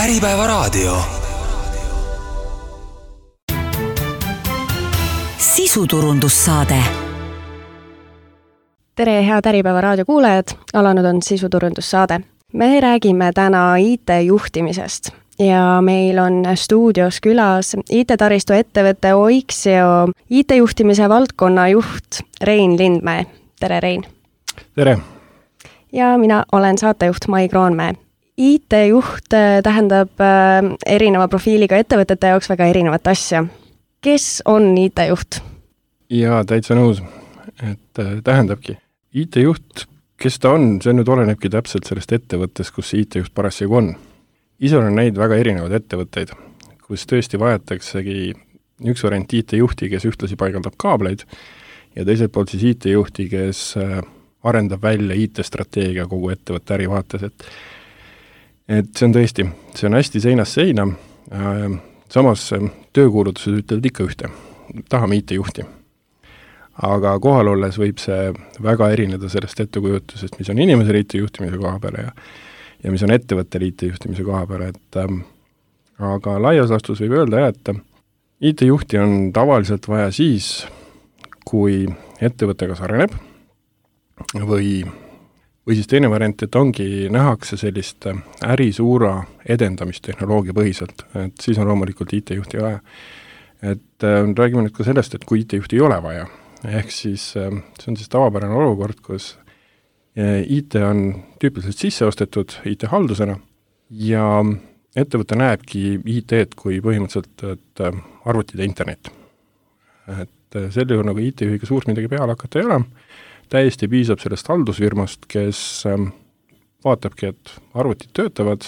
Äripäevaraadio. Sisuturundussaade. Tere, head Äripäevaraadio kuulajad! Alanud on sisuturundussaade. Me räägime täna IT-juhtimisest ja meil on stuudios külas IT-taristu ettevõtte Oixio IT-juhtimise valdkonna juht Rein Lindmäe. Tere, Rein! Tere! Ja mina olen saatejuht Mai Kroonmäe. IT-juht tähendab erineva profiiliga ettevõtete jaoks väga erinevat asja. Kes on IT-juht? Jaa, täitsa nõus. Tähendabki. IT-juht, kes ta on, see nüüd olenebki täpselt sellest ettevõttes, kus see IT-juht parasjagu on. Ise olen näinud väga erinevaid ettevõtteid, kus tõesti vajataksegi üks variant IT-juhti, kes ühtlasi paigaldab kaableid, ja teiselt poolt siis IT-juhti, kes arendab välja IT-strateegia kogu ettevõtte ärivaates, et see on tõesti, see on hästi seinast seina, samas töökuulutused ütlevad ikka ühte, tahame IT-juhti. Aga kohal olles võib see väga erineda sellest ettekujutusest, mis on inimesel IT-juhtimise koha peale ja mis on ettevõttel IT-juhtimise koha peale, aga laias laastus võib öelda, et IT-juhti on tavaliselt vaja siis, kui ettevõte kas areneb või siis teine variant, et ongi nähakse sellist ärisuura edendamist tehnoloogia põhiselt, et siis on loomulikult IT-juhti vaja. Räägime nüüd ka sellest, et kui IT-juhti ei ole vaja, ehk siis see on siis tavapärane olukord, kus IT on tüüpiliselt sisse ostetud IT-haldusena ja ettevõte näebki IT-d kui põhimõtteliselt arvutid ja internet. Selle juhul nagu IT-juhiga suurt midagi peale hakata ei ole, täiesti piisab sellest haldusfirmast, kes vaatabki, et arvutid töötavad,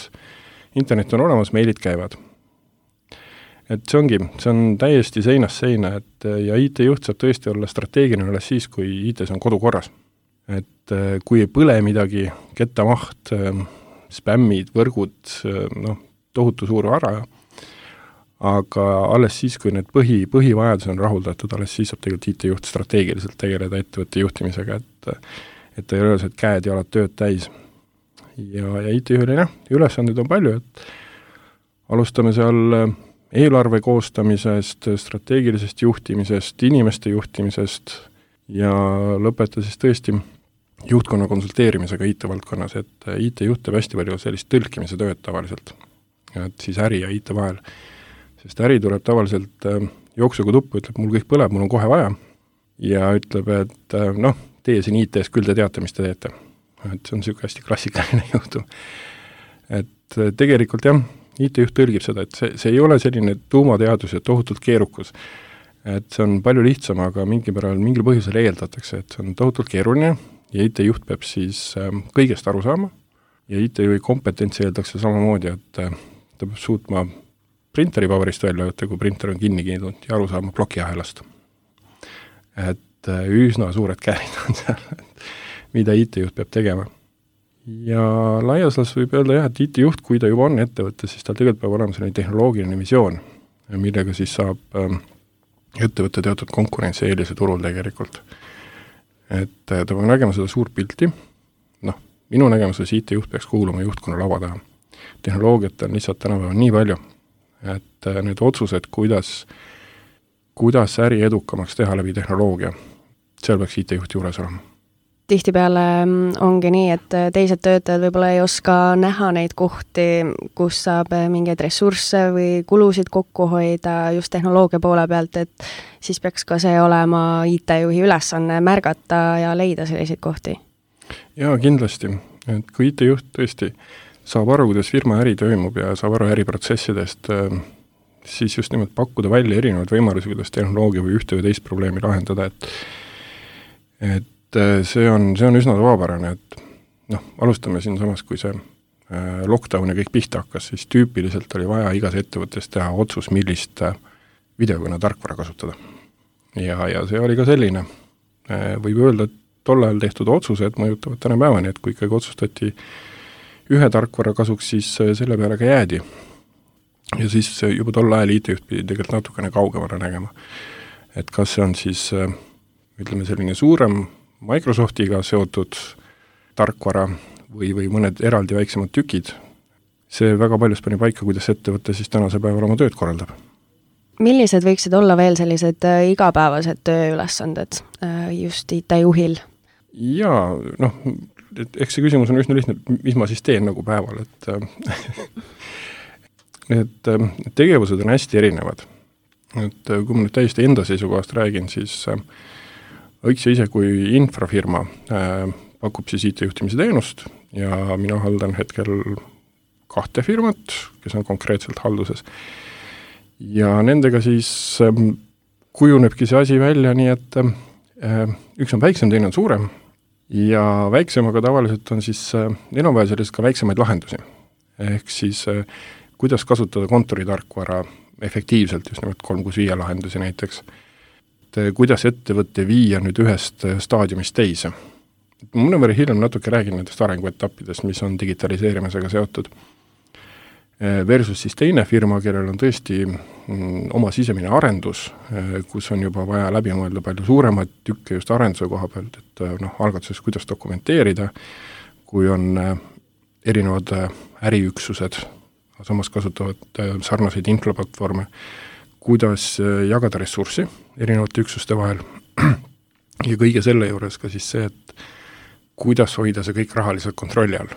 internet on olemas, meilid käivad. See on täiesti seinast seina, ja IT-juht saab tõesti olla strateegiline alles siis, kui IT-s on kodukorras. Kui ei põle midagi, kettamaht, spämmid, võrgud, tohutu suur vara, aga alles siis, kui need põhivajadus on rahuldatud, alles siis saab tegelikult IT-juht strateegiliselt tegeleda ettevõtte juhtimisega, et ta ei ole see käed ja alad tööd täis. Ja IT-juhile ülesanded on palju, et alustame seal eelarve koostamisest, strateegilisest juhtimisest, inimeste juhtimisest ja lõpeta siis tõesti juhtkonna konsulteerimisega IT-valdkonnas, et IT-juht teeb hästi palju sellist tõlkimise tööd tavaliselt, et siis äri ja IT vahel. Sest äri tuleb tavaliselt jooksuga tuppu, ütleb, mul kõik põleb, mul on kohe vaja, ja ütleb, et teie siin IT-s küll te teate, mis te teete. See on niisugune hästi klassikaline juhtum. Tegelikult jah, IT-juht tõlgib seda, et see ei ole selline tuumateadus ja tohutult keerukus. See on palju lihtsam, aga mingil põhjusel eeldatakse, et see on tohutult keeruline ja IT-juht peab siis kõigest aru saama ja IT-juhi kompetentsi eeldakse samamoodi, et ta peab suutma printeri paberist välja võtta, kui printer on kinni kiindunud ja aru saama plokiahelast. Üsna suured käärid on seal, mida IT-juht peab tegema. Ja laias laastus võib öelda jah, et IT-juht, kui ta juba on ettevõte, siis tal tegelikult peab olema selline tehnoloogiline visioon, millega siis saab ettevõtte teatud konkurentsieelise turul tegelikult. Ta peab nägema seda suurt pilti, minu nägemuses IT-juht peaks kuuluma juhtkonna lava taha. Tehnoloogiat on lihtsalt tänapäeval nii palju, et need otsused, kuidas äri edukamaks teha läbi tehnoloogia, seal peaks IT-juht juures olema. Tihtipeale ongi nii, et teised töötajad võib-olla ei oska näha neid kohti, kus saab mingeid ressursse või kulusid kokku hoida just tehnoloogia poole pealt, et siis peaks ka see olema IT-juhi ülesanne märgata ja leida selliseid kohti. Jaa, kindlasti. Et kui IT-juht tõesti saab aru, kuidas firma äri toimub ja saab aru äriprotsessidest, siis just nimelt pakkuda välja erinevaid võimalusi, kuidas tehnoloogia või ühte või teist probleemi lahendada, et see on üsna tavapärane, et alustame siin samas, kui see lockdown ja kõik pihta hakkas, siis tüüpiliselt oli vaja igas ettevõttes teha otsus, millist videokõne tarkvara kasutada. Ja see oli ka selline, võib öelda, et tol ajal tehtud otsused mõjutavad täna päevani, et kui ikkagi otsustati ühe tarkvara kasuks, siis selle peale ka jäädi. Ja siis juba tol ajal IT-juht pidi tegelikult natukene kaugemale nägema. Et kas see on siis, ütleme, selline suurem Microsoftiga seotud tarkvara või mõned eraldi väiksemad tükid, see väga paljus pani paika, kuidas ettevõte siis tänase päeval oma tööd korraldab. Millised võiksid olla veel sellised igapäevased tööülesanded just IT-juhil? Jaa, eks see küsimus on üsna lihtne, mis ma siis teen nagu päeval, et need tegevused on hästi erinevad. Et kui ma nüüd täiesti enda seisukohast räägin, siis Õiks ise kui infrafirma pakub siis IT-juhtimise teenust ja mina haldan hetkel 2 firmat, kes on konkreetselt halduses. Ja nendega siis kujunebki see asi välja nii, et üks on väiksem, teine on suurem ja väiksemaga tavaliselt on siis neil on vaja sellest ka väiksemaid lahendusi. Ehk siis kuidas kasutada kontoritarkvara efektiivselt, just nimelt 365 lahendusi näiteks. Kuidas ettevõtte viia nüüd ühest staadiumist teise. Mõnevõrra hiljem natuke räägin nendest arenguetappidest, mis on digitaliseerimisega seotud. Versus siis teine firma, kellel on tõesti oma sisemine arendus, kus on juba vaja läbi mõelda palju suuremaid tükke just arenduse koha pealt, et algatuses kuidas dokumenteerida, kui on erinevad äriüksused, samas kasutavad sarnaseid infoplatvorme, kuidas jagada ressurssi erinevate üksuste vahel ja kõige selle juures ka siis see, et kuidas hoida see kõik rahaliselt kontrolli all.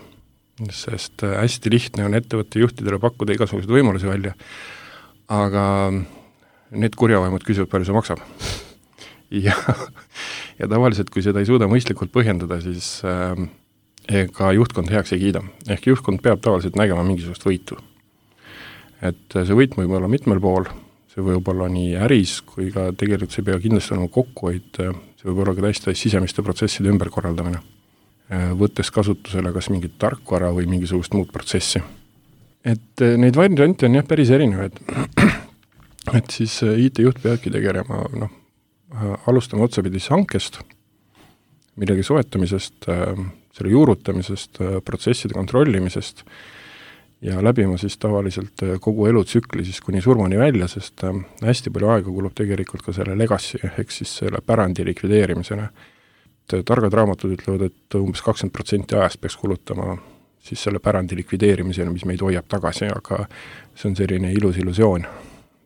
Sest hästi lihtne on ettevõtte juhtidele pakkuda igasuguseid võimalusi välja, aga need kurjavaimud küsivad, palju see maksab. Ja tavaliselt, kui seda ei suuda mõistlikult põhjendada, siis ega juhtkond heaks ei kiida. Ehk juhtkond peab tavaliselt nägema mingisugust võitu. Et see võit võib olla mitmel pool, see võib olla nii äris, kui ka tegelikult see pea kindlasti olema kokkuhoid, see võib olla ka täiesti sisemiste protsesside ümberkorraldamine, võttes kasutusele kas mingit tarkvara või mingisugust muud protsessi. Et neid variante on jah päris erinevaid. Et siis IT-juht peabki tegelema, alustama otsapidis hankest, millegi soetamisest, selle juurutamisest, protsesside kontrollimisest ja läbima siis tavaliselt kogu elutsükli siis kuni surmani välja, sest hästi palju aega kulub tegelikult ka selle legacy, ehk siis selle pärandi likvideerimisena. Targad raamatud ütlevad, et umbes 20% ajast peaks kulutama siis selle pärandi likvideerimisena, mis meid hoiab tagasi, aga see on selline ilus illusioon.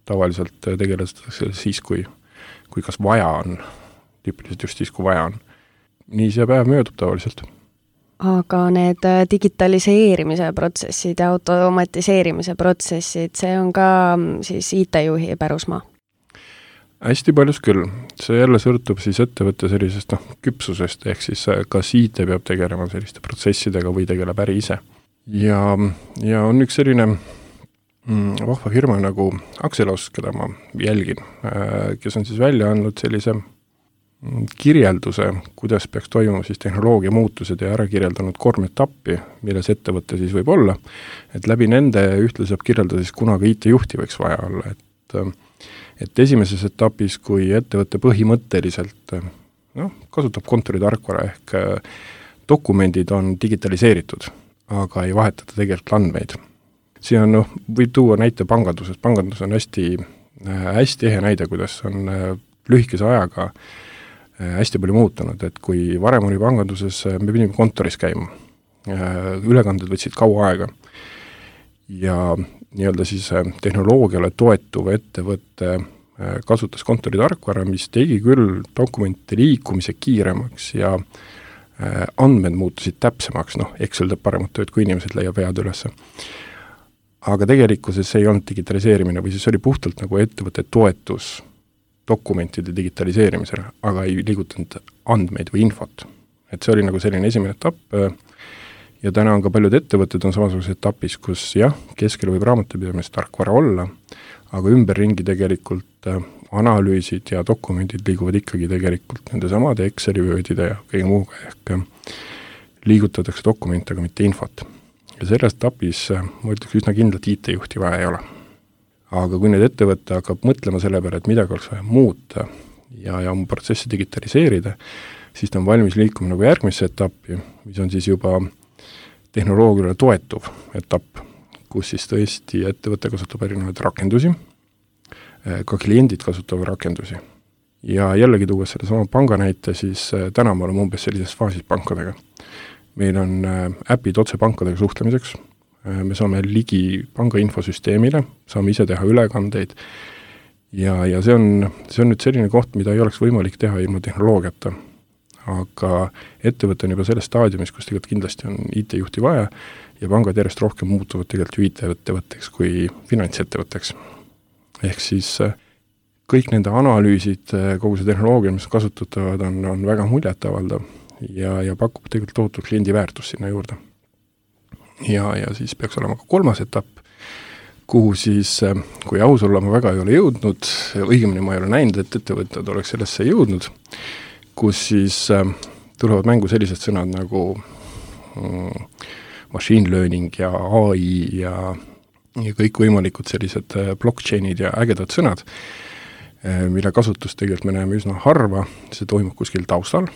Tavaliselt tegeletakse siis, kui kas vaja on, tüüpiliselt just siis, kui vaja on. Nii see päev möödub tavaliselt. Aga need digitaliseerimise protsessid ja automatiseerimise protsessid, see on ka siis IT-juhi pärusmaa? Hästi paljus küll. See jälle sõltub siis ettevõtte sellisest küpsusest, ehk siis kas IT peab tegelema selliste protsessidega või tegeleb äri ise. Ja on üks selline vahva firma nagu Axelos, keda ma jälgin, kes on siis välja andnud sellise kirjelduse, kuidas peaks toimuma siis tehnoloogia muutused ja ära kirjeldanud 3 etappi, milles ettevõte siis võib olla, et läbi nende ühtle saab kirjeldada siis kunagi IT-juhti võiks vaja olla, et esimeses etapis, kui ettevõte põhimõtteliselt kasutab kontoritarkvara ehk dokumendid on digitaliseeritud, aga ei vahetata tegelikult andmeid. Siin võib tuua näite panganduses. Pangandus on hästi ehe näide, kuidas on lühikese ajaga hästi palju muutunud, et kui varem oli panganduses, me pidime kontoris käima. Ülekanded võtsid kaua aega ja nii-öelda siis tehnoloogiale toetuv ettevõtte kasutas kontoritarkvara, mis tegi küll dokumente liikumise kiiremaks ja andmed muutusid täpsemaks, Excel teeb paremat tööd, kui inimesed leiab vead üles. Aga tegelikkuses see ei olnud digitaliseerimine või siis oli puhtalt nagu ettevõtte toetus dokumentide digitaliseerimisele, aga ei liigutanud andmeid või infot. Et see oli nagu selline esimene etapp ja täna on ka paljud ettevõtted on samasuguses etapis, kus jah, keskel võib raamatupidamist tarkvara olla, aga ümberringi tegelikult analüüsid ja dokumendid liiguvad ikkagi tegelikult nende samade Exceli vöödide ja kõige muuga ehk liigutatakse dokumente, aga mitte infot. Ja selles etapis ma ütleks üsna kindlalt IT-juhti vaja ei ole. Aga kui nüüd ettevõte hakkab mõtlema selle peale, et midagi oleks vaja muuta ja oma protsessi digitaliseerida, siis ta on valmis liikuma nagu järgmisse etappi, mis on siis juba tehnoloogiale toetuv etapp, kus siis tõesti ettevõte kasutab erinevaid rakendusi, ka kliendid kasutavad rakendusi. Ja jällegi tuues selle sama panga näite, siis täna me oleme umbes sellises faasis pankadega. Meil on äpid otse pankadega suhtlemiseks, me saame ligi panga infosüsteemile, saame ise teha ülekandeid ja see on nüüd selline koht, mida ei oleks võimalik teha ilma tehnoloogiata. Aga ettevõte on juba selles staadiumis, kus tegelikult kindlasti on IT-juhti vaja ja pangad järjest rohkem muutuvad tegelikult ju IT-ettevõtteks kui finantsettevõtteks. Ehk siis kõik nende analüüsid, kogu see tehnoloogia, mis kasutatavad, on väga muljetavaldav ja pakub tegelikult tohutu kliendi väärtus sinna juurde. Ja siis peaks olema ka kolmas etapp, kuhu siis, kui aus olla, ma väga ei ole jõudnud, õigemini ma ei ole näinud, et ettevõtted oleks sellesse jõudnud, kus siis tulevad mängu sellised sõnad nagu machine learning ja AI ja kõikvõimalikud sellised blockchainid ja ägedad sõnad, mille kasutust tegelikult me näeme üsna harva, see toimub kuskil taustal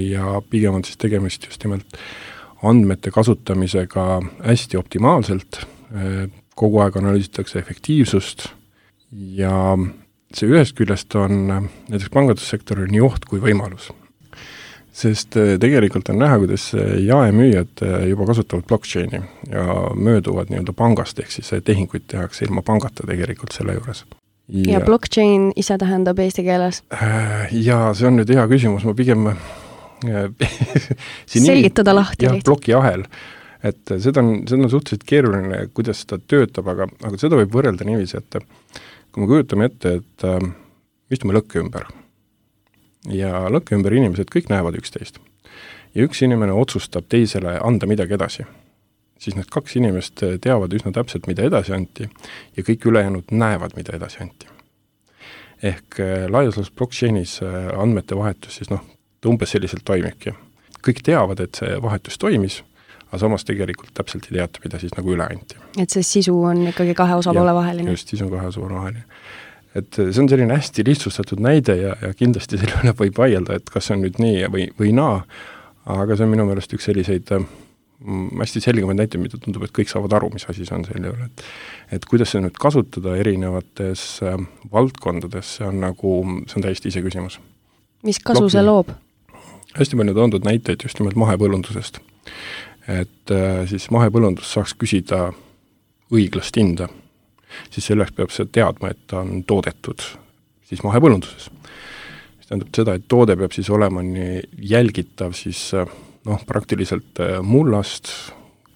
ja pigem on siis tegemist just nimelt andmete kasutamisega hästi optimaalselt, kogu aeg analüüsitakse efektiivsust ja see ühest küljest on näiteks pangandussektoril nii oht kui võimalus. Sest tegelikult on näha, kuidas jaemüüjad juba kasutavad blockchaini ja mööduvad nii-öelda pangast, ehk siis tehinguid tehakse ilma pangata tegelikult selle juures. Ja blockchain ise tähendab eesti keeles? Ja see on nüüd hea küsimus, ma pigem selgitada lahti lihtsalt. Blokiahel. Et seda on suhteliselt keeruline, kuidas seda töötab, aga seda võib võrrelda niiviisi, et kui me kujutame ette, et istume lõkke ümber ja lõkke ümber inimesed kõik näevad üksteist ja üks inimene otsustab teisele anda midagi edasi, siis need kaks inimest teavad üsna täpselt, mida edasi anti ja kõik ülejäänud näevad, mida edasi anti. Ehk laias laastus blockchainis andmete vahetus siis umbes selliselt toimibki. Kõik teavad, et see vahetus toimis, aga samas tegelikult täpselt ei teata, mida siis nagu üle anti. Et see sisu on ikkagi kahe osapoole vaheline. Just, sisu on kahe osapoole vaheline. Et see on selline hästi lihtsustatud näide ja kindlasti selle üle võib vaielda, et kas see on nüüd nii või naa, aga see on minu meelest üks selliseid hästi selgemaid näiteid, mida tundub, et kõik saavad aru, mis asi see on selle üle. Et kuidas see nüüd kasutada erinevates valdkondades, see on täiesti ise küsimus. Mis kasu see loob? Hästi palju toondud näiteid just nimelt mahepõllundusest. Et siis mahepõllundus saaks küsida õiglast hinda, siis selleks peab see teadma, et ta on toodetud siis mahepõllunduses. See tähendab seda, et toode peab siis olema nii jälgitav siis praktiliselt mullast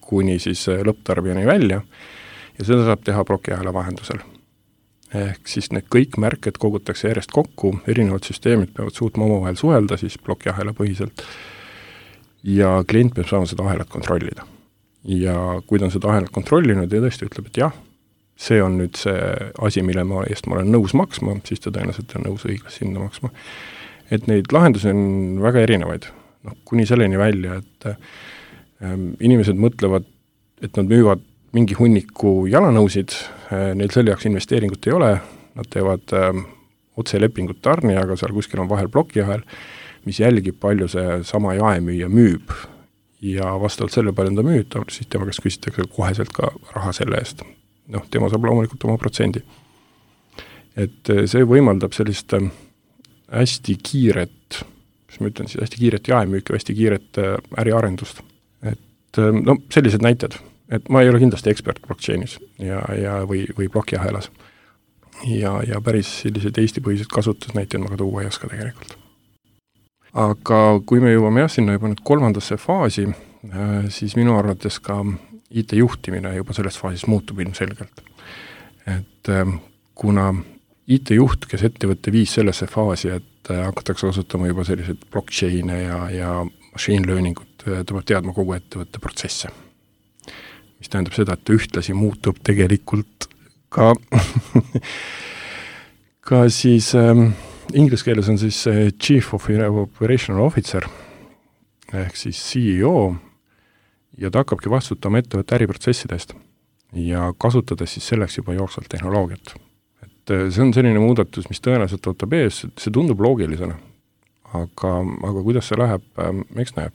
kuni siis lõpptarbijani välja ja seda saab teha blokiahela vahendusel. Ehk siis need kõik märked kogutakse järjest kokku, erinevad süsteemid peavad suutma omavahel suhelda siis blokiahela põhiselt ja klient peab saama seda ahelat kontrollida. Ja kui ta on seda ahelat kontrollinud ja tõesti ütleb, et jah, see on nüüd see asi, mille eest ma olen nõus maksma, siis ta tõenäoliselt on nõus õiglast hinda maksma. Et neid lahendusi on väga erinevaid. Kuni selleni välja, et inimesed mõtlevad, et nad müüvad mingi hunniku jalanõusid, neil selle jaoks investeeringut ei ole, nad teevad otselepingut tarnijaga, seal kuskil on vahel blokiahel, mis jälgib palju see sama jaemüüja müüb ja vastavalt selle palju ta müüb, siis tema käest küsitakse koheselt ka raha selle eest. Tema saab loomulikult oma protsendi. Et see võimaldab sellist hästi kiiret, mis ma ütlen siis, hästi kiiret jaemüüki, hästi kiiret äriarendust. Et sellised näited, et ma ei ole kindlasti ekspert blockchainis või blokiahelas. Ja päris sellised Eesti-põhised kasutusnäiteid ma ka tuua ei oska tegelikult. Aga kui me jõuame sinna juba nüüd kolmandasse faasi, siis minu arvates ka IT-juhtimine juba selles faasis muutub ilmselgelt. Et kuna IT-juht, kes ettevõtte viis sellesse faasi, et hakatakse kasutama juba sellised blockchaine ja machine learningut, ta peab teadma kogu ettevõtte protsesse. Mis tähendab seda, et ühtlasi muutub tegelikult ka ka siis inglise keeles on siis Chief Operational Officer ehk siis CEO ja ta hakkabki vastutama ettevõtte äriprotsessidest ja kasutades siis selleks juba jooksvalt tehnoloogiat. Et see on selline muudatus, mis tõenäoliselt võtab ees, see tundub loogilisena, aga kuidas see läheb, eks näeb.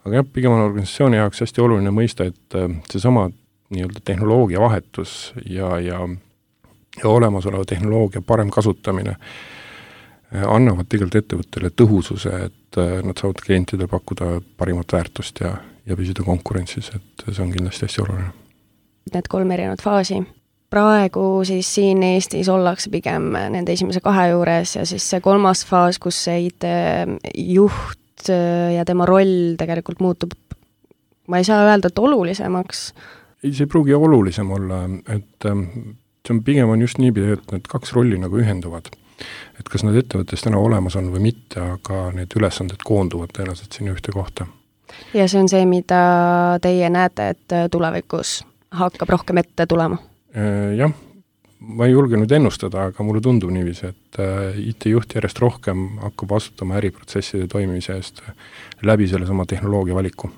Aga jah, pigem on organisatsiooni jaoks hästi oluline mõista, et seesama nii-öelda tehnoloogia vahetus ja olemasoleva tehnoloogia parem kasutamine annavad tegelikult ettevõttele tõhususe, et nad saavad klientidele pakkuda parimat väärtust ja ja püsida konkurentsis, et see on kindlasti hästi oluline. Need 3 erinevat faasi. Praegu siis siin Eestis ollakse pigem nende esimese 2 juures ja siis see 3. faas, kus see IT-juht ja tema roll tegelikult muutub, ma ei saa öelda, et olulisemaks. Ei, see ei pruugi olulisem olla, et see on pigem on just niipidi, et need 2 rolli nagu ühenduvad. Et kas need ettevõttes täna olemas on või mitte, aga need ülesanded koonduvad tõenäoliselt sinna ühte kohta. Ja see on see, mida teie näete, et tulevikus hakkab rohkem ette tulema? Jah, ma ei julge nüüd ennustada, aga mulle tundub niiviisi, et IT-juht järjest rohkem hakkab vastutama äriprotsesside toimimise eest läbi selle sama tehnoloogia valiku.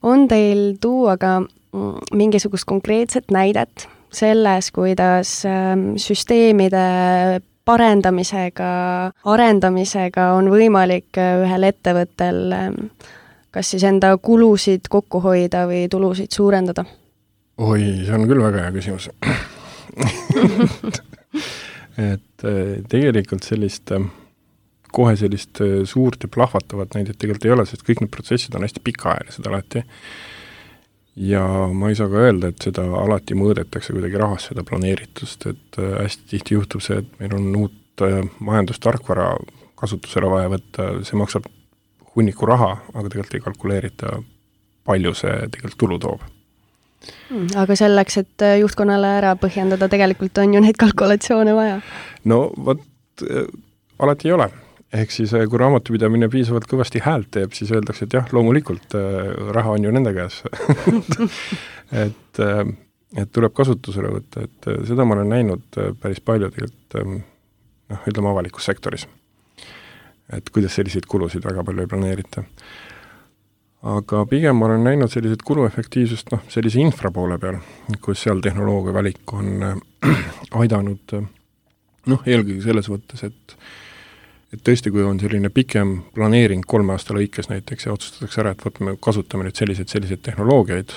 On teil tuua ka mingisugust konkreetset näidet selles, kuidas süsteemide parendamisega, arendamisega on võimalik ühel ettevõttel kas siis enda kulusid kokku hoida või tulusid suurendada? Oi, see on küll väga hea küsimus. Et tegelikult kohe sellist suurt ja plahvatavat näidet tegelikult ei ole, sest kõik need protsessid on hästi pikaajalised alati. Ja ma ei saa ka öelda, et seda alati mõõdetakse kuidagi rahas seda planeeritust, et hästi tihti juhtub see, et meil on uut majandustarkvara kasutusele vaja võtta, see maksab hunniku raha, aga tegelikult ei kalkuleerita, palju see tegelikult tulu toob. Aga selleks, et juhtkonnale ära põhjendada, tegelikult on ju neid kalkulatsioone vaja? No alati ei ole. Ehk siis, kui raamatupidamine piisavalt kõvasti häält teeb, siis öeldakse, et jah, loomulikult raha on ju nende käes. et tuleb kasutusele võtta, et seda ma olen näinud päris palju tegelikult, ütleme avalikus sektoris. Et kuidas selliseid kulusid väga palju ei planeerita. Aga pigem ma olen näinud sellised kuluefektiivsust sellise infra poole peal, kus seal tehnoloogia valik on aidanud eelkõige selles võttes, et tõesti, kui on selline pikem planeering 3 aasta lõikes näiteks ja otsustatakse ära, et kasutame nüüd selliseid tehnoloogiaid,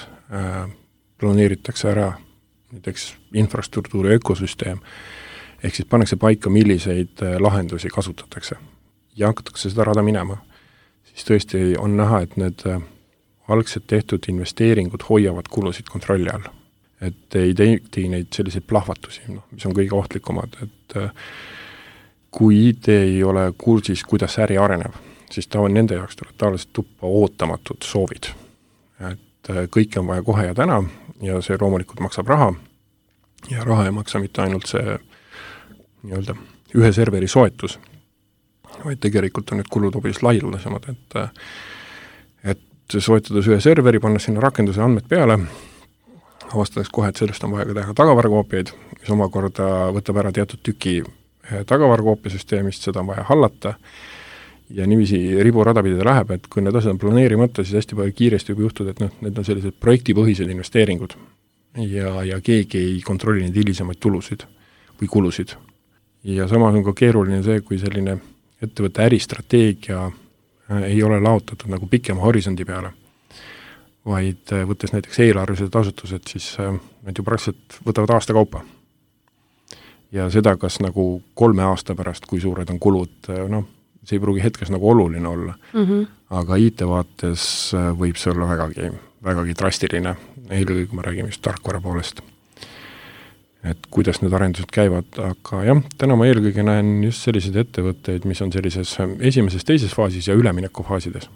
planeeritakse ära näiteks infrastruktuuri ökosüsteem, ehk siis pannakse paika, milliseid lahendusi kasutatakse ja hakatakse seda rada minema, siis tõesti on näha, et need algselt tehtud investeeringud hoiavad kulusid kontrolli all. Et ei tee neid selliseid plahvatusi, mis on kõige ohtlikumad, et kui IT ei ole kursis, kuidas äri areneb, siis nende jaoks tuleb tavaliselt tuppa ootamatud soovid. Et kõike on vaja kohe ja täna ja see loomulikult maksab raha ja raha ei maksa mitte ainult see nii-öelda ühe serveri soetus, vaid tegelikult on need kulud hoopis laialdasemad, et soetades ühe serveri, panna sinna rakenduse andmed peale, avastades kohe, et sellest on vaja ka teha tagavarakoopiaid, mis omakorda võtab ära teatud tüki tagavarakoopiasüsteemist, seda on vaja hallata ja niiviisi riburada pidada läheb, et kui need asjad on planeerimata, siis hästi palju kiiresti võib juhtuda, et need on sellised projektipõhised investeeringud ja keegi ei kontrolli neid hilisemaid tulusid või kulusid. Ja samas on ka keeruline see, kui selline ettevõtte äristrateegia ei ole laotatud nagu pikema horisondi peale, vaid võttes näiteks eelarvelised asutused, siis need ju praktiliselt võtavad aasta kaupa. Ja seda, kas nagu 3 aasta pärast, kui suured on kulud, see ei pruugi hetkes nagu oluline olla. Aga IT vaates võib see olla vägagi drastiline, eelkõige kui me räägime just tarkvara poolest. Et kuidas need arendused käivad, aga jah, täna ma eelkõige näen just selliseid ettevõtteid, mis on sellises esimeses, teises faasis ja üleminekufaasides.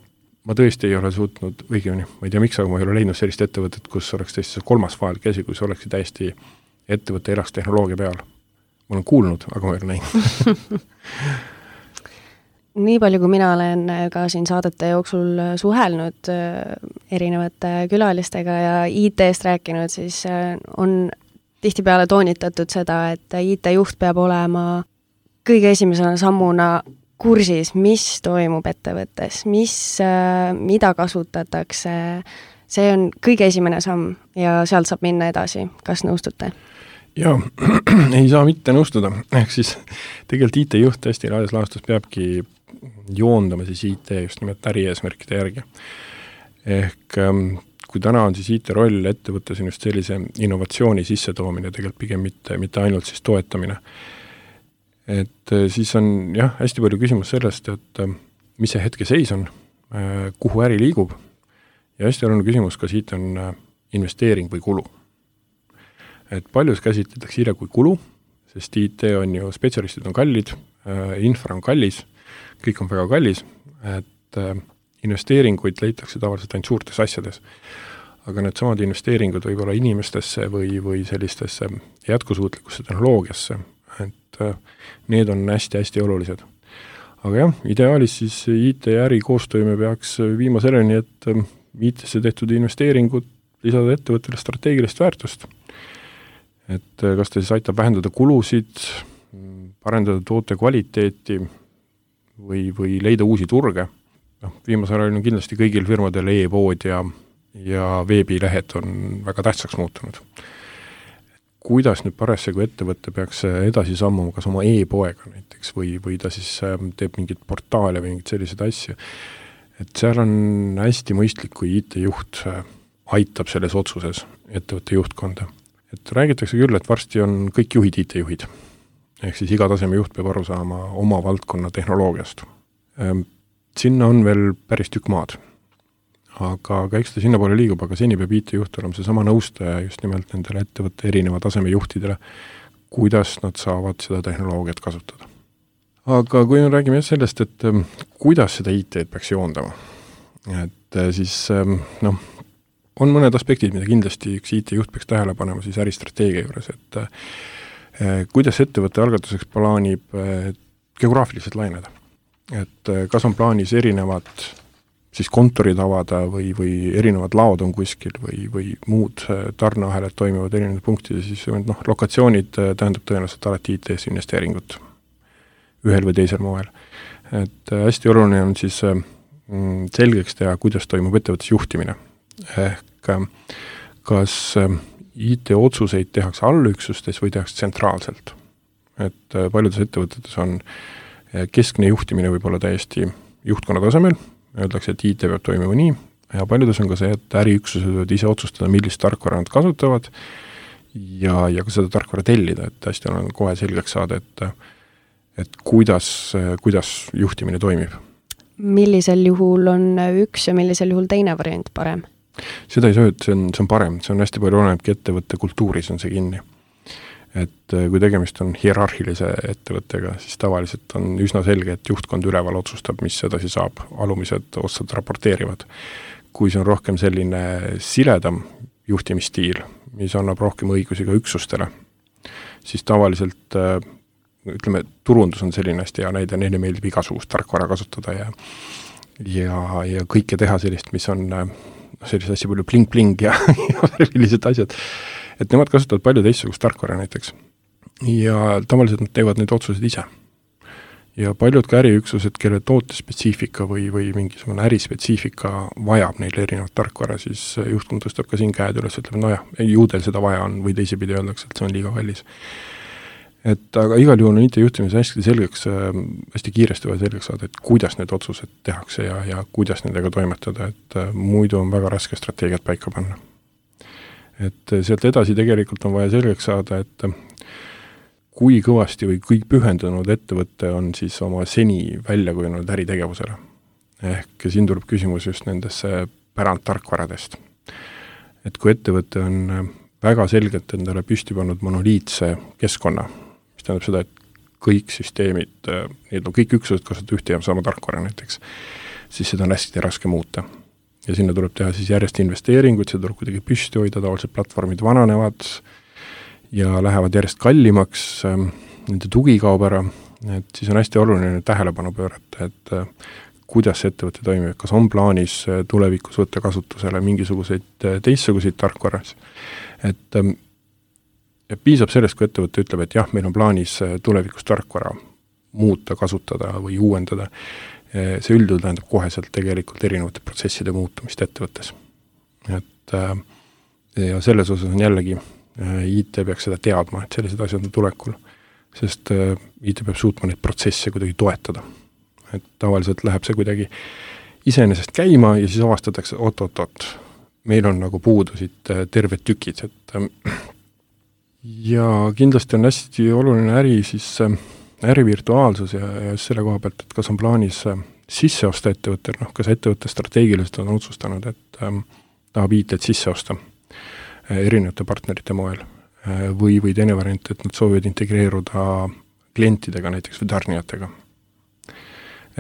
Ma tõesti ei ole suutnud, õigemini, ma ei tea miks, aga ma ei ole leidnud sellist ettevõtet, kus oleks tõesti 3. faal käsi, kus oleksid täiesti ettevõtte elaks tehnoloogia peal. Ma olen kuulnud, aga ma ei ole näinud. Nii palju, kui mina olen ka siin saadete jooksul suhelnud erinevate külalistega ja IT-st rääkinud, siis on tihtipeale toonitatud seda, et IT-juht peab olema kõige esimesena sammuna kursis, mis toimub ettevõttes, mida kasutatakse. See on kõige esimene samm ja sealt saab minna edasi. Kas nõustute? Jaa, ei saa mitte nõustuda. Ehk siis tegelikult IT-juht hästi laias laastus peabki joondama siis IT just nimelt ärieesmärkide järgi. Ehk kui täna on siis IT-roll ettevõttes on just sellise innovatsiooni sissetoomine, tegelikult pigem mitte ainult siis toetamine. Et siis on jah, hästi palju küsimus sellest, et mis see hetke seis on, kuhu äri liigub Ja hästi oluline küsimus, kas IT on investeering või kulu. Et paljus käsitletakse IT kui kulu, sest IT on ju, spetsialistid on kallid, infra on kallis, kõik on väga kallis, et investeeringuid leitakse tavaliselt ainult suurtes asjades. Aga need samad investeeringud võib olla inimestesse või sellistesse jätkusuutlikusse tehnoloogiasse, et need on hästi-hästi olulised. Aga jah, ideaalis siis IT ja äri koostööme peaks viima selleni, et IT-sse tehtud investeeringud lisada ettevõttele strateegilist väärtust. Et kas ta siis aitab vähendada kulusid, parendada toote kvaliteeti või leida uusi turge. Viimasel ajal on kindlasti kõigil firmadel e-pood ja veebilehed on väga tähtsaks muutunud. Kuidas nüüd parasjagu ettevõtte peaks edasi sammuma kas oma e-poega näiteks või ta siis teeb mingit portaale või mingit selliseid asju. Et seal on hästi mõistlik, kui IT-juht aitab selles otsuses ettevõtte juhtkonda. Et räägitakse küll, et varsti on kõik juhid IT-juhid. Ehk siis iga taseme juht peab aru saama oma valdkonna tehnoloogiast. Sinna on veel päris tükk maad. Aga eks ta sinna poole liigub, aga seni peab IT-juht olema seesama nõustaja just nimelt nendele ettevõtte erineva taseme juhtidele, kuidas nad saavad seda tehnoloogiat kasutada. Aga kui me räägime sellest, et kuidas seda IT-d peaks joondama, et siis on mõned aspektid, mida kindlasti üks IT-juht peaks tähele panema siis äristrateegia juures, et kuidas ettevõtte algatuseks plaanib geograafiliselt laineda. Et kas on plaanis erinevad siis kontorid avada või erinevad laod on kuskil või muud tarneahelad toimivad erinevad punktid, siis lokatsioonid tähendab tõenäoliselt alati IT-s investeeringut ühel või teisel moel. Et hästi oluline on siis selgeks teha, kuidas toimub ettevõttes juhtimine. Ehk kas IT-otsuseid tehakse allüksustes või tehakse tsentraalselt. Et paljudes ettevõtetes on keskne juhtimine võib olla täiesti juhtkonna tasemel, öeldakse, et IT peab toimima nii, ja paljudes on ka see, et äriüksused võivad ise otsustada, millist tarkvara nad kasutavad ja ka seda tarkvara tellida, et hästi on kohe selgeks saada, et kuidas juhtimine toimib. Millisel juhul on üks ja millisel juhul teine variant parem? Seda ei saa, et see on parem, see on hästi palju olenebki ettevõtte kultuuris on see kinni. Et kui tegemist on hierarhilise ettevõttega, siis tavaliselt on üsna selge, et juhtkond üleval otsustab, mis edasi saab, alumised otsad raporteerivad. Kui see on rohkem selline siledam juhtimisstiil, mis annab rohkem õigusi ka üksustele, siis tavaliselt, ütleme, turundus on selline hästi hea näide, neile meeldib igasugust tarkvara kasutada ja kõike teha sellist, mis on sellist hästi palju pling-pling ja värvilised asjad. Et nemad kasutavad palju teistsugust tarkvara näiteks. Ja tavaliselt nad teevad neid otsuseid ise. Ja paljud ka äriüksused, kelle tootespetsiifika või mingisugune ärispetsiifika vajab neile erinevat tarkvara, siis juhtkond tõstab ka siin käed üles, ütleb, ju teil seda vaja on või teisipidi öeldakse, et see on liiga kallis. Et aga igal juhul on IT-juhtimise hästi kiiresti vaja selgeks saada, et kuidas need otsused tehakse ja kuidas nendega toimetada, et muidu on väga raske strateegiat paika panna. Et sealt edasi tegelikult on vaja selgeks saada, et kui kõvasti või kui pühendunud ettevõtte on siis oma seni välja kujunenud äritegevusele. Ehk siin tuleb küsimus just nendesse pärandtarkvaradest. Et kui ettevõte on väga selgelt endale püsti pannud monoliitse keskkonna, mis tähendab seda, et kõik süsteemid, kõik üksused kasutavad ühte ja sama tarkvara näiteks, siis seda on hästi raske muuta. Ja sinna tuleb teha siis järjest investeeringuid, see tuleb kuidagi püsti hoida, tavaliselt platvormid vananevad ja lähevad järjest kallimaks, nende tugi kaob ära, et siis on hästi oluline tähelepanu pöörata, et kuidas see ettevõte toimib, kas on plaanis tulevikus võtta kasutusele mingisuguseid teistsuguseid tarkvaras. Et piisab sellest, kui ettevõte ütleb, et jah, meil on plaanis tulevikus tarkvara muuta, kasutada või uuendada. See üldjuhul tähendab koheselt tegelikult erinevate protsesside muutumist ettevõttes. Et, ja selles osas on jällegi IT peaks seda teadma, et sellised asjad on tulekul, sest IT peab suutma neid protsesse kuidagi toetada. Et tavaliselt läheb see kuidagi iseenesest käima ja siis avastatakse, oot, meil on nagu puudusid terved tükid. Et, ja kindlasti on hästi oluline äri virtuaalsus ja selle koha pealt, et kas on plaanis sisse osta ettevõttel, kas ettevõtte strateegiliselt on otsustanud, et tahab IT-d sisse osta erinevate partnerite moel või teine variant, et nad soovivad integreeruda klientidega näiteks või tarnijatega.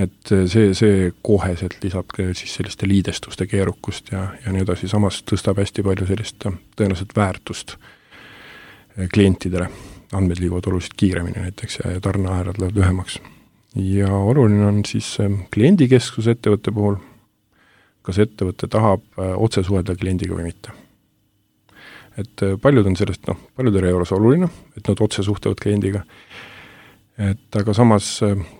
Et see koheselt lisab siis selliste liidestuste keerukust ja nii edasi, samas tõstab hästi palju sellist tõenäoliselt väärtust klientidele. Andmed liiguvad oluliselt kiiremini näiteks ja tarneahelad lähevad lühemaks. Ja oluline on siis kliendikeskus ettevõtte puhul, kas ettevõte tahab otse suhelda kliendiga või mitte. Et paljud on sellest, paljudele ei ole see oluline, et nad otse suhtlevad kliendiga. Et aga samas,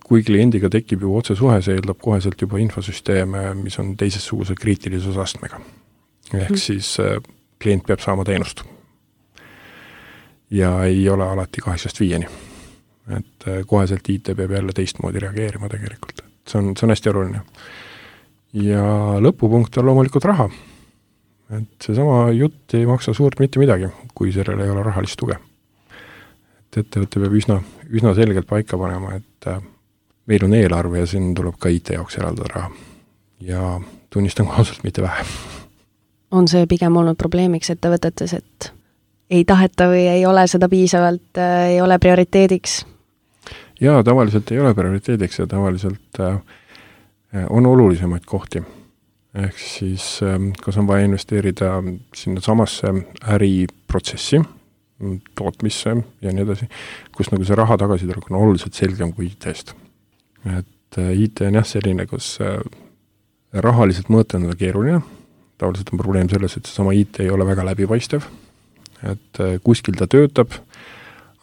kui kliendiga tekib juba otse suhe, see eeldab koheselt juba infosüsteeme, mis on teisesuguse kriitilisusastmega. Ehk siis klient peab saama teenust. Ja ei ole alati 8-5. Et koheselt IT peab jälle teistmoodi reageerima tegelikult. See on hästi oluline. Ja lõpupunkt on loomulikult raha. Et seesama jutt ei maksa suurt mitte midagi, kui sellel ei ole rahalist tuge. Et ettevõte peab üsna selgelt paika panema, et meil on eelarve ja siin tuleb ka IT jaoks eraldada raha. Ja tunnistan kohaselt mitte vähe. On see pigem olnud probleemiks ettevõtetes, et ei taheta või ei ole seda piisavalt, ei ole prioriteediks? Jaa, tavaliselt ei ole prioriteediks ja tavaliselt on olulisemaid kohti. Ehk siis, kas on vaja investeerida sinna samasse äriprotsessi, tootmisse ja nii edasi, kus nagu see raha tagasitulek on oluliselt selgem kui IT-st. Et IT on selline, kus rahaliselt mõõta on keeruline. Tavaliselt on probleem selles, et seesama IT ei ole väga läbipaistev. Et kuskil ta töötab,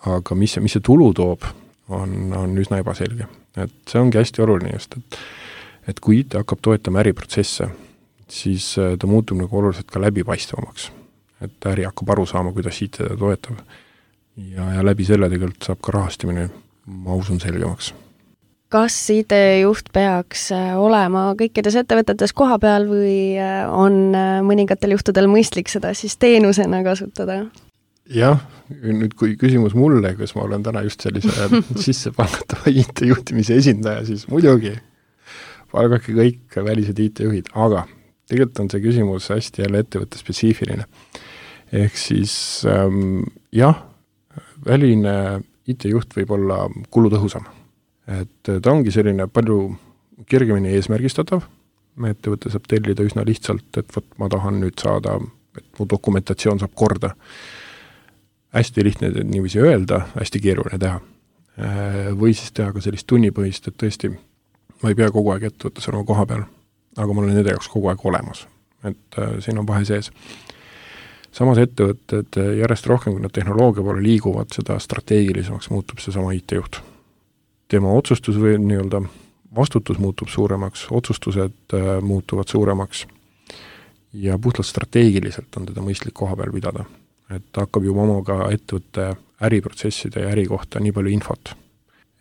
aga mis see tulu toob, on üsna ebaselge. Et see ongi hästi oluline just, et kui IT hakkab toetama äriprotsesse, siis ta muutub nagu oluliselt ka läbipaistvamaks. Et äri hakkab aru saama, kuidas IT ta toetab. Ja läbi selle tegelikult saab ka rahastamine, ma usun, selgemaks. Kas IT-juht peaks olema kõikides ettevõtetes koha peal või on mõningatel juhtudel mõistlik seda siis teenusena kasutada? Jah, nüüd kui küsimus mulle, kus ma olen täna just sellise sissepalgatava IT-juhtimise esindaja, siis muidugi palgake kõik välised IT-juhid, aga tegelikult on see küsimus hästi jälle ettevõtte spetsiifiline. Ehk siis jah, väline IT-juht võib olla kulutõhusam. Et ta ongi selline palju kergemini eesmärgistatav. Ettevõte saab tellida üsna lihtsalt, et ma tahan nüüd saada, et mu dokumentatsioon saab korda. Hästi lihtne niiviisi öelda, hästi keeruline teha. Või siis teha ka sellist tunnipõhist, et tõesti ma ei pea kogu aeg ettevõttes olema koha peal, aga mul on nende jaoks kogu aeg olemas. Et siin on vahe sees. Samas ettevõtted järjest rohkem, kui nad tehnoloogia poole liiguvad, seda strateegilisemaks muutub see sama IT-juht. Tema otsustus või nii-öelda vastutus muutub suuremaks, otsustused muutuvad suuremaks ja puhtalt strateegiliselt on teda mõistlik koha peal pidada. Et ta hakkab juba omaga ettevõtte äriprotsesside ja äri kohta nii palju infot,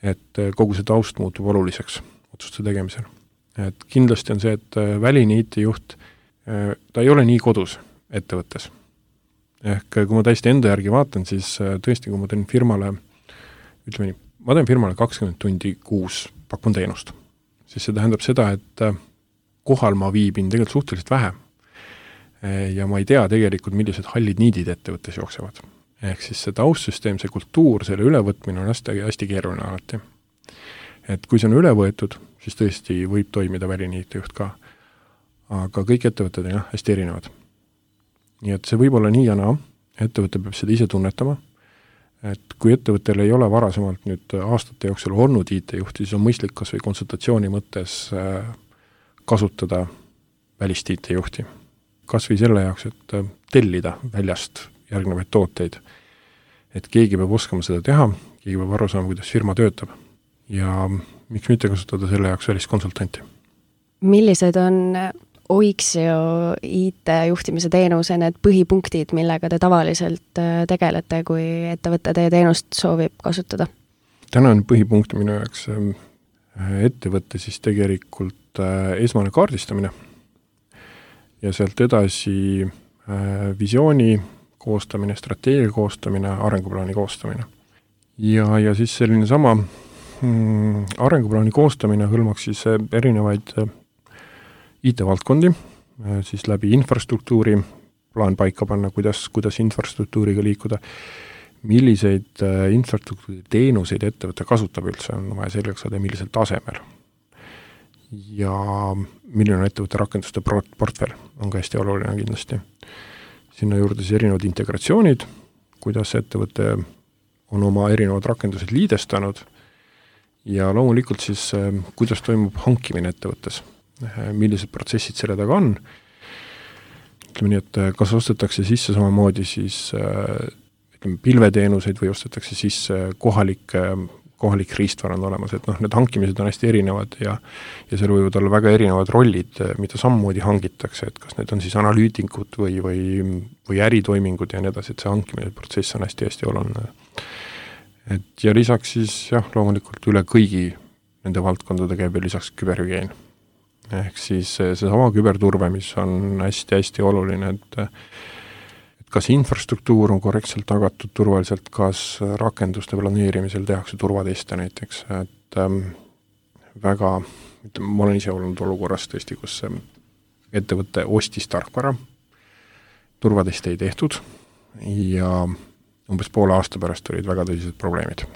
et kogu see taust muutub oluliseks otsuste tegemisel. Et kindlasti on see, et väline IT-juht, ta ei ole nii kodus ettevõttes. Ehk kui ma täiesti enda järgi vaatan, siis tõesti, kui ma teen firmale, ütleme nii, ma teen firmale 20 tundi kuus pakun teenust. Siis see tähendab seda, et kohal ma viibin tegelikult suhteliselt vähe. Ja ma ei tea tegelikult, millised hallid niidid ettevõttes jooksevad. Ehk siis see taustsüsteem, see kultuur, selle ülevõtmine on hästi keeruline alati. Et kui see on üle võetud, siis tõesti võib toimida väline IT-juht ka. Aga kõik ettevõtted on hästi erinevad. Nii et see võib olla nii ja naa, ettevõte peab seda ise tunnetama. Et kui ettevõttel ei ole varasemalt nüüd aastate jooksul olnud IT-juhti, siis on mõistlik kas või konsultatsiooni mõttes kasutada välist IT-juhti. Kas või selle jaoks, et tellida väljast järgnevaid tooteid. Et keegi peab oskama seda teha, keegi peab aru saama, kuidas firma töötab. Ja miks mitte kasutada selle jaoks väliskonsultanti? Millised on Oixio IT-juhtimise teenuse need põhipunktid, millega te tavaliselt tegelete, kui ettevõtte teie teenust soovib kasutada? Täna on põhipunkt minu jaoks ettevõtte siis tegelikult esmane kaardistamine ja sealt edasi visiooni koostamine, strateegia koostamine, arenguplaani koostamine. Ja siis selline sama arenguplaani koostamine hõlmaks siis erinevaid IT-valdkondi, siis läbi infrastruktuuri plaan paika panna, kuidas infrastruktuuriga liikuda, milliseid infrastruktuuri teenuseid ettevõte kasutab üldse, on vaja selgeks saada, millisel tasemel. Ja milline on ettevõtte rakenduste portfell, on ka hästi oluline kindlasti. Sinna juurde siis erinevad integratsioonid, kuidas ettevõte on oma erinevad rakendused liidestanud ja loomulikult siis, kuidas toimub hankimine ettevõttes, millised protsessid selle taga on. Ütleme nii, et kas ostetakse sisse samamoodi siis pilveteenuseid või ostetakse sisse kohalik riistvara on olemas, et need hankimised on hästi erinevad ja seal võivad olla väga erinevad rollid, mida samamoodi hangitakse, et kas need on siis analüütikud või äritoimingud ja nii edasi, et see hankimine protsess on hästi-hästi oluline. Ja lisaks siis loomulikult üle kõigi nende valdkondade käib ja lisaks küberhügieen. Ehk siis see sama küberturve, mis on hästi-hästi oluline, et kas infrastruktuur on korrektselt tagatud turvaliselt, kas rakenduste planeerimisel tehakse turvateste näiteks, et väga, ma olen ise olnud olukorras tõesti, kus ettevõte ostis tarkvara, turvateste ei tehtud ja umbes poole aasta pärast olid väga tõsised probleemid.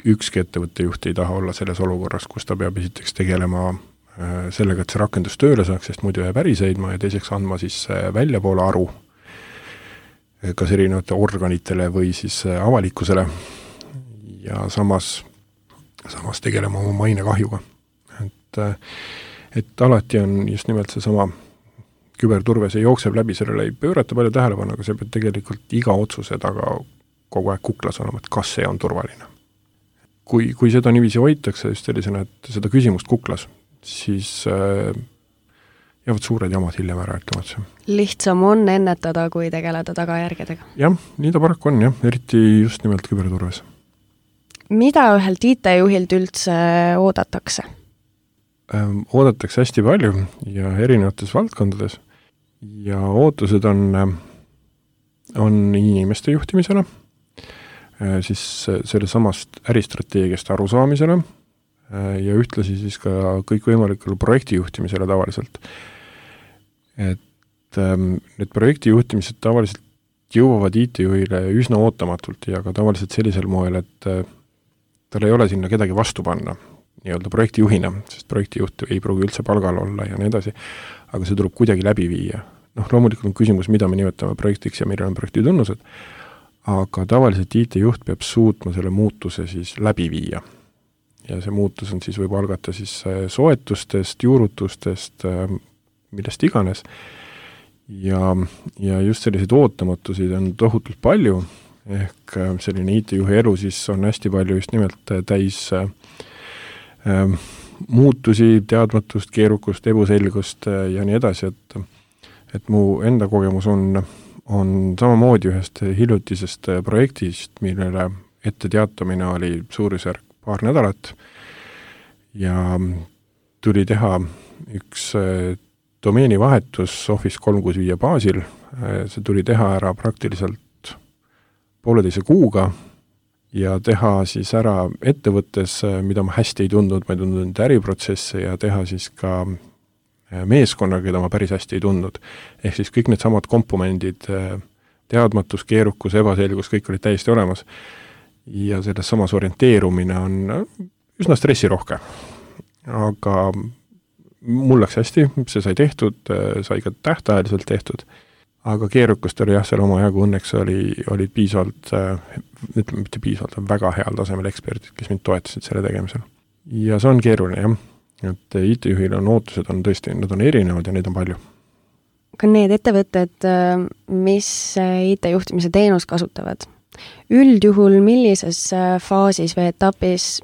Ükski ettevõtte juht ei taha olla selles olukorras, kus ta peab esiteks tegelema sellega, et see rakendus tööle saaks, sest muidu jääb äri seisma ja teiseks andma siis väljapoole aru kas erinevate organitele või siis avalikkusele ja samas tegelema oma maine kahjuga. Et alati on just nimelt see sama küberturve, see jookseb läbi, sellele ei pöörata palju tähelepanu, aga see peab tegelikult iga otsuse taga kogu aeg kuklas olema, et kas see on turvaline. Kui seda niiviisi hoitakse just sellisena, et seda küsimust kuklas, siis jäävad suured jamad hiljem ära ütlematse. Lihtsam on ennetada, kui tegeleda tagajärgedega. Jah, nii ta paraku on, eriti just nimelt küberturves. Mida ühelt IT-juhilt üldse oodatakse? Oodatakse hästi palju ja erinevates valdkondades ja ootused on inimeste juhtimisele, siis selle samast äristrateegiast arusaamisele ja ühtlasi siis ka kõikvõimalikule projekti juhtimisele tavaliselt. Et need projekti juhtimised tavaliselt jõuavad IT-juhile üsna ootamatult ja ka tavaliselt sellisel moel, et tal ei ole sinna kedagi vastu panna nii-öelda projektijuhina, sest projektijuht ei pruugi üldse palgal olla ja nii edasi, aga see tuleb kuidagi läbi viia. Loomulikult on küsimus, mida me nimetame projektiks ja milline on projekti tunnused, aga tavaliselt IT-juht peab suutma selle muutuse siis läbi viia. Ja see muutus on siis võib algata siis soetustest, juurutustest, millest iganes. Ja just selliseid ootamatusid on tohutult palju, ehk selline IT-juhi elu siis on hästi palju just nimelt täis muutusi, teadmatust, keerukust, ebuselgust ja nii edasi, et mu enda kogemus on samamoodi ühest hiljutisest projektist, millele ette teatamine oli suurusjärk paar nädalat ja tuli teha üks domeenivahetus Office 365 baasil. See tuli teha ära praktiliselt 1,5 kuuga ja teha siis ära ettevõttes, mida ma hästi ei tundnud, ma ei tundnud äriprotsesse ja teha siis ka meeskonna, keda ma päris hästi ei tundnud. Ehk siis kõik need samad komponendid, teadmatus, keerukus, ebaselgus, kõik olid täiesti olemas. Ja selles samas orienteerumine on üsna stressirohke. Aga mul läks hästi, see sai tehtud, sai ka tähtajaliselt tehtud, aga keerukust oli seal oma jagu, õnneks olid piisavalt, ütleme mitte piisavalt, väga heal tasemel eksperdid, kes mind toetasid selle tegemisel. Ja see on keeruline, et IT-juhil on ootused, on tõesti, nad on erinevad ja neid on palju. Ka need ettevõtted, mis IT-juhtimise teenus kasutavad, üldjuhul millises faasis või etapis,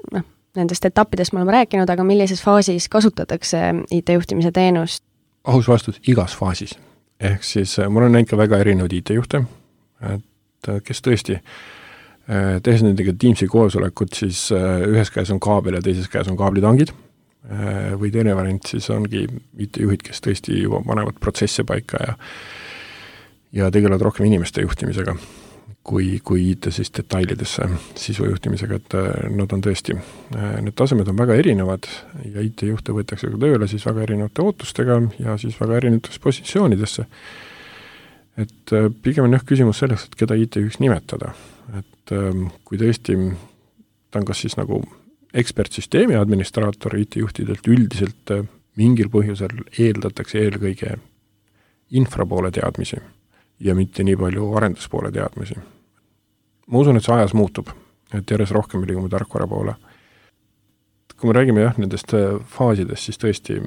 nendest etappidest me oleme rääkinud, aga millises faasis kasutatakse IT-juhtimise teenust? Aus vastus, igas faasis. Ehk siis mul on näinud ka väga erinevad IT-juhte, et kes tõesti tehes nendega Teamsi koosolekut, siis ühes käes on kaabel ja teises käes on kaablitangid või teine variant siis ongi IT-juhid, kes tõesti juba panevad protsesse paika ja tegelevad rohkem inimeste juhtimisega. kui IT siis detailidesse sisujuhtimisega, et nad on tõesti, need tasemed on väga erinevad ja IT-juhte võetakse ka tööle siis väga erinevate ootustega ja siis väga erinevates positsioonidesse. Et pigem on küsimus selleks, et keda IT-juhiks nimetada. Et kui tõesti ta on kas siis nagu ekspertsüsteemi administraator IT-juhtidelt üldiselt mingil põhjusel eeldatakse eelkõige infrapoole teadmisi ja mitte nii palju arenduspoole teadmisi. Ma usun, et see ajas muutub, et järjest rohkem liigume tarkvara poole. Kui me räägime nendest faasidest, siis tõesti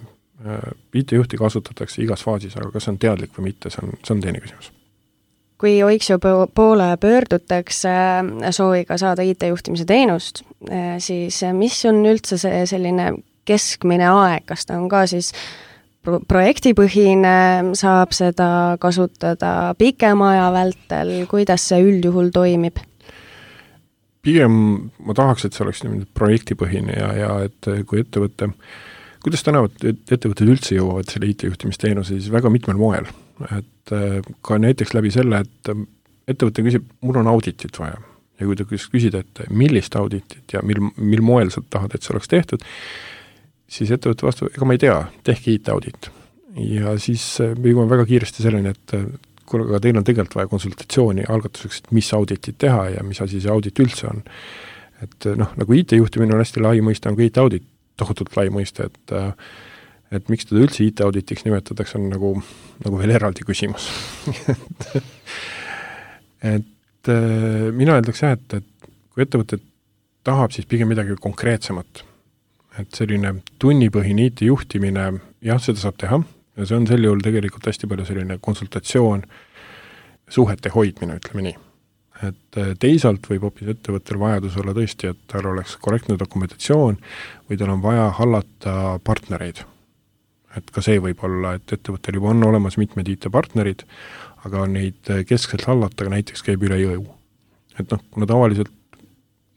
IT-juhti kasutatakse igas faasis, aga kas see on teadlik või mitte, see on teine küsimus. Kui OXIO poole pöördutakse sooviga saada IT-juhtimise teenust, siis mis on üldse see selline keskmine aeg, kas ta on ka siis projektipõhine, saab seda kasutada pikema aja vältel, kuidas see üldjuhul toimib? Pigem ma tahaks, et see oleks projektipõhine ja et kui ettevõte, kuidas tänavad ettevõtted üldse jõuavad selle IT-juhtimisteenuse, siis väga mitmel moel. Et ka näiteks läbi selle, et ettevõte küsib, mul on auditit vaja. Ja kui ta küsida, et millist auditit ja mil moel sa tahad, et see oleks tehtud, siis ettevõtte vastu, ega ma ei tea, tehke IT-audit. Ja siis me jõuame väga kiiresti selleni, et kui teil on tegelikult vaja konsultatsiooni algatuseks, et mis auditit teha ja mis asi see audit üldse on. Et nagu IT-juhtimine on hästi lai mõiste, on ka IT-audit tohutult lai mõiste, et miks teda üldse IT-auditiks nimetatakse, on nagu veel eraldi küsimus. et mina öeldaks et kui ettevõte tahab, siis pigem midagi konkreetsemat. Et selline tunnipõhine IT-juhtimine, jah, seda saab teha, ja see on sel juhul tegelikult hästi palju selline konsultatsioon, suhete hoidmine, ütleme nii. Et teisalt võib hoopis ettevõttel vajadus olla tõesti, et tal oleks korrektne dokumentatsioon või tal on vaja hallata partnereid. Et ka see võib olla, et ettevõttel juba on olemas mitmed IT-partnerid, aga neid keskselt hallata näiteks käib üle jõu. Et kuna tavaliselt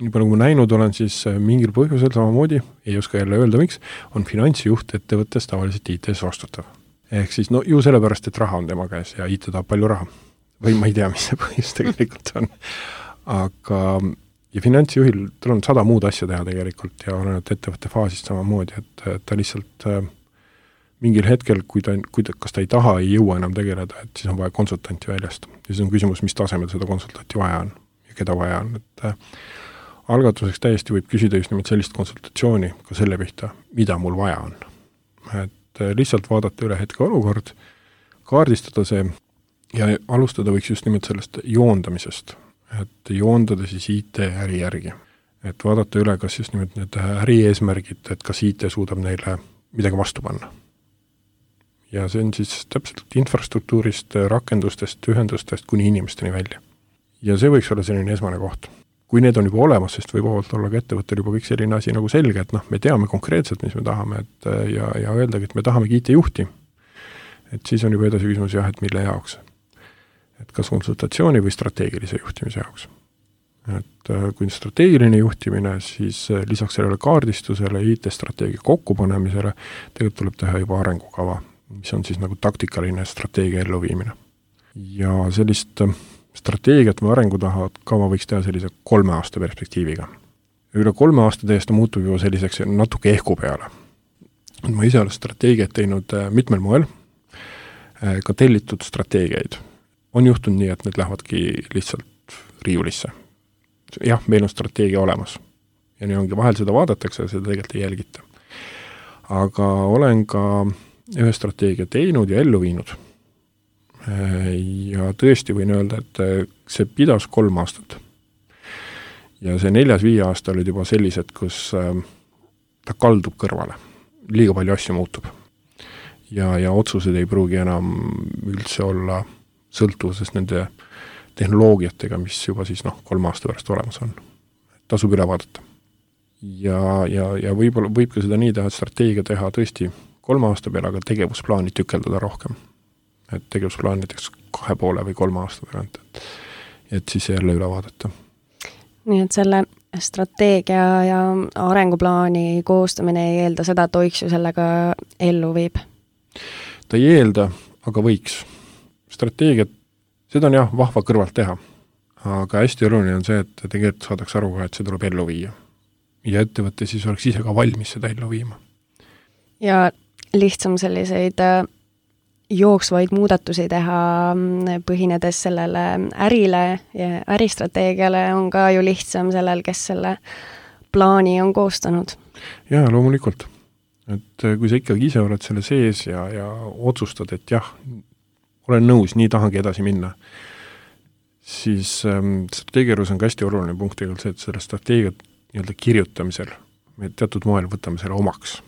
nii palju kui ma näinud olen, siis mingil põhjusel samamoodi, ei oska jälle öelda miks, on finantsjuht ettevõttes tavaliselt IT-s vastutav. Ehk siis ju sellepärast, et raha on tema käes ja IT tahab palju raha. Või ma ei tea, mis see põhjus tegelikult on. Aga ja finantsjuhil, tal on 100 muud asja teha tegelikult ja oleneb ettevõtte faasist samamoodi, et ta lihtsalt mingil hetkel, kas ta ei taha, ei jõua enam tegeleda, et siis on vaja konsultanti väljast. Ja siis on küsimus, mis tasemel seda konsultanti vaja on ja keda vaja on. Et algatuseks täiesti võib küsida just nimelt sellist konsultatsiooni ka selle pihta, mida mul vaja on. Et lihtsalt vaadata üle hetke olukord, kaardistada see ja alustada võiks just nimelt sellest joondamisest, et joondada siis IT-äri järgi. Et vaadata üle, kas just nimelt need äri eesmärgid, et kas IT suudab neile midagi vastu panna. Ja see on siis täpselt infrastruktuurist, rakendustest, ühendustest kuni inimesteni välja. Ja see võiks olla selline esmane koht. Kui need on juba olemas, sest võib olla ka ettevõttel juba kõik selline asi nagu selge, et me teame konkreetselt, mis me tahame, et, ja öeldagi, et me tahamegi IT-juhti. Et siis on juba edasi küsimus et mille jaoks. Et kas konsultatsiooni või strateegilise juhtimise jaoks. Et kui strateegiline juhtimine, siis lisaks sellele kaardistusele, IT-strateegia kokkupanemisele, tegelikult tuleb teha juba arengukava, mis on siis nagu taktikaline strateegia elluviimine. Ja sellist strateegiat või arengukava võiks teha sellise 3 aasta perspektiiviga. Üle 3 aasta täiesti muutub juba selliseks natuke ehku peale. Ma ise olen strateegiat teinud mitmel moel, ka tellitud strateegiaid. On juhtunud nii, et need lähevadki lihtsalt riiulisse. Jah, meil on strateegia olemas. Ja nii ongi, vahel seda vaadatakse ja seda tegelikult ei jälgita. Aga olen ka ühe strateegia teinud ja ellu viinud. Ja tõesti võin öelda, et see pidas 3 aastat. Ja see 4-5 aasta olid juba sellised, kus ta kaldub kõrvale. Liiga palju asju muutub. Ja otsused ei pruugi enam üldse olla sõltuvuses nende tehnoloogiatega, mis juba siis 3 aasta pärast olemas on. Tasub üle vaadata. Ja võib ka seda nii teha, et strateegia teha tõesti 3 aasta peale, aga tegevusplaani tükeldada rohkem. Et tegevusplaan näiteks 2,5 või 3 aasta pealt, et siis jälle üle vaadata. Nii et selle strateegia ja arenguplaani koostamine ei eelda seda, et OXIO sellega ellu viib? Ta ei eelda, aga võiks. Strateegiat, seda on jah vahva kõrvalt teha, aga hästi oluline on see, et tegelikult saadaks aru ka, et see tuleb ellu viia. Ja ettevõte siis oleks ise ka valmis seda ellu viima. Ja lihtsam selliseid jooksvaid muudatusi teha, põhinedes sellele ärile ja äristrateegiale on ka ju lihtsam sellel, kes selle plaani on koostanud. Jaa, loomulikult. Et kui sa ikkagi ise oled selle sees ja otsustad, et jah, olen nõus, nii tahangi edasi minna, siis strateegiarus on ka hästi oluline punkt tegelikult see, et selle strateegiat nii-öelda kirjutamisel me teatud moel võtame selle omaks.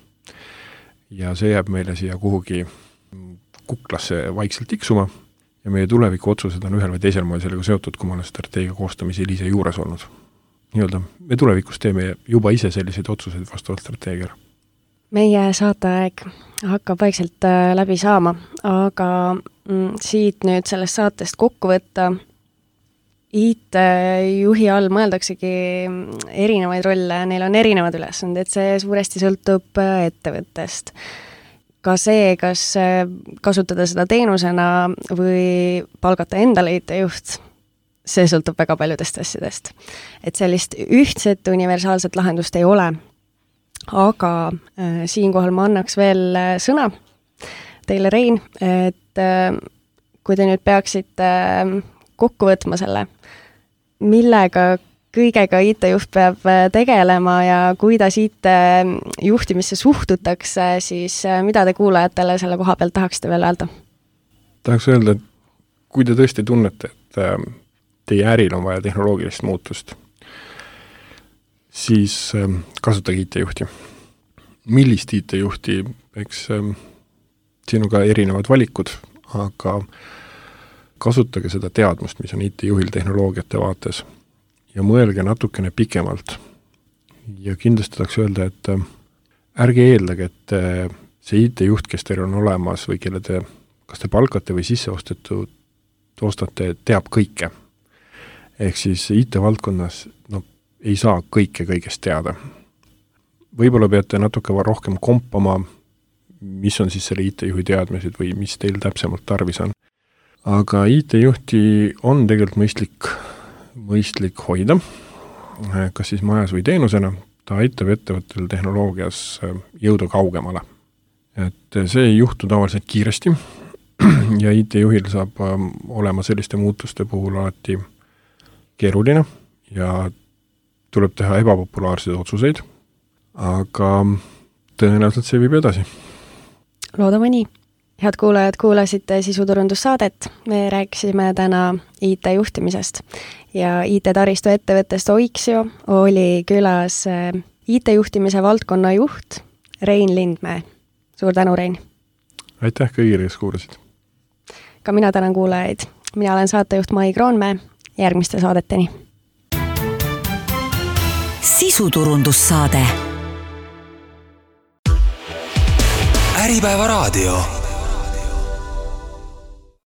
Ja see jääb meile siia kuhugi kuklasse vaikselt tiksuma ja meie tuleviku otsused on ühel või teisel moel sellega seotud, kui ma olen strateegia koostamisel ise juures olnud. Nii-öelda, me tulevikus teeme juba ise selliseid otsuseid vastavalt strateegiale. Meie saateaeg hakkab vaikselt läbi saama, aga siit nüüd sellest saatest kokku võtta IT-juhi all mõeldaksegi erinevaid rolle, neil on erinevad ülesanded, see suuresti sõltub ettevõttest. Ka see, kas kasutada seda teenusena või palgata endale IT-juht, see sõltub väga paljudest asjadest. Et sellist ühtset universaalset lahendust ei ole. Aga siinkohal ma annaks veel sõna teile, Rein, et kui te nüüd peaksite kokku võtma selle, millega kõigega IT-juht peab tegelema ja kuidas IT-juhtimisse suhtutakse, siis mida te kuulajatele selle koha pealt tahaksite veel öelda? Tahaks öelda, et kui te tõesti tunnete, et teie äril on vaja tehnoloogilist muutust, siis kasutage IT-juhti. Millist IT-juhti, eks siin on ka erinevad valikud, aga kasutage seda teadmust, mis on IT-juhil tehnoloogiate vaates ja mõelge natukene pikemalt. Ja kindlasti tahaks öelda, et ärge eeldage, et see IT-juht, kes teil on olemas või kelle te, kas te palkate või sisse ostate, teab kõike. Ehk siis IT-valdkonnas ei saa kõigest teada. Võib-olla peate natuke rohkem kompama, mis on siis selle IT-juhi teadmised või mis teil täpsemalt tarvis on. Aga IT-juhti on tegelikult mõistlik hoida, kas siis majas või teenusena. Ta aitab ettevõttel tehnoloogias jõuda kaugemale. Et see ei juhtu tavaliselt kiiresti ja IT-juhil saab olema selliste muutuste puhul alati keeruline ja tuleb teha ebapopulaarseid otsuseid, aga tõenäoliselt see viib edasi. Loodame nii. Head kuulajad, kuulasite sisuturundussaadet. Me rääkisime täna IT-juhtimisest ja IT-taristu ettevõttest Oixio oli külas IT-juhtimise valdkonna juht Rein Lindmäe. Suur tänu, Rein! Aitäh kõigile, kes kuulasid! Ka mina tänan kuulajaid. Mina olen saatejuht Mai Kroonmäe. Järgmiste saadeteni. Sisuturundussaade. Äripäeva raadio.